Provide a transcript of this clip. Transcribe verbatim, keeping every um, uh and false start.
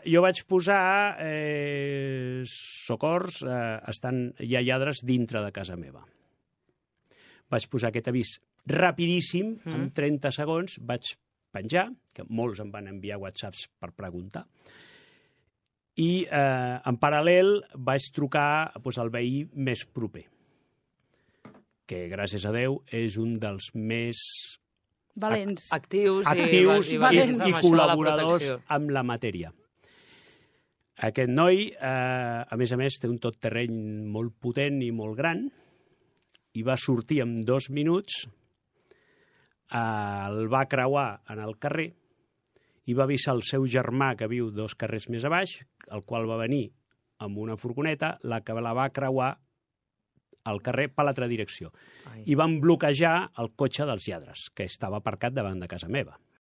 Jo vaig posar eh, socors, eh, estan, hi ha lladres dintre de casa meva. Vaig posar aquest avís rapidíssim, mm. en trenta segons, vaig penjar, que molts em van enviar whatsapps per preguntar, i eh, en paral·lel vaig trucar doncs, al veí més proper, que gràcies a Déu és un dels més valents, actius, actius i, i, valents. i, i col·laboradors amb la matèria. Aquest noi, eh, a més a més, té un tot terreny molt potent i molt gran, i va sortir en dos minuts, eh, el va creuar en el carrer, i va avisar el seu germà, que viu dos carrers més a baix, el qual va venir amb una furgoneta, la que la va creuar al carrer per l'altra direcció. Ai. I van bloquejar el cotxe dels lladres, que estava aparcat davant de casa meva.